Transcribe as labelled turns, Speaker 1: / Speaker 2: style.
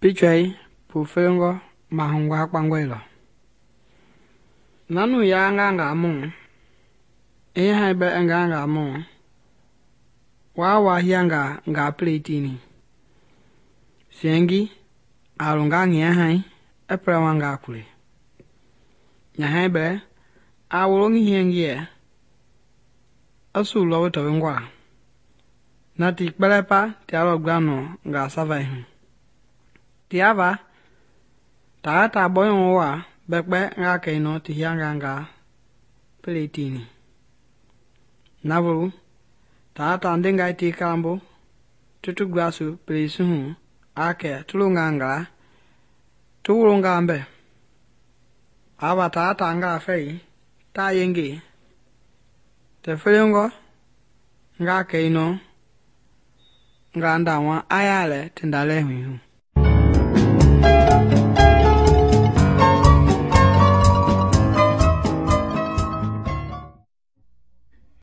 Speaker 1: Pichai pufelengɔ mahugba kpangɔe lɔ. Nanu ya nganga mu, ehai bɛ nganga mu, wa hianga nga pletini. Siengi alunga ngia hai eprawanga kule. Nyahai bɛ a wolongi hiengie asu lɔwe tɔwengwa. Na ti kpɛlɛpa tia lɔ gblano nga savai hu. Tiava ta bɔyɔngɔ wa bɛkpɛ nga kɛinɔ ti hianga nga pletini. Navolu ta ndengai ti kalambo tutu glasu pelesi hu akɛ tulunga ngala tu wolonga mbɛ. Ava ta nga fɛi ta yenge tɛ felengɔ nga kɛinɔ nga ndawa aya lɛ ti ndalɛ hui hu.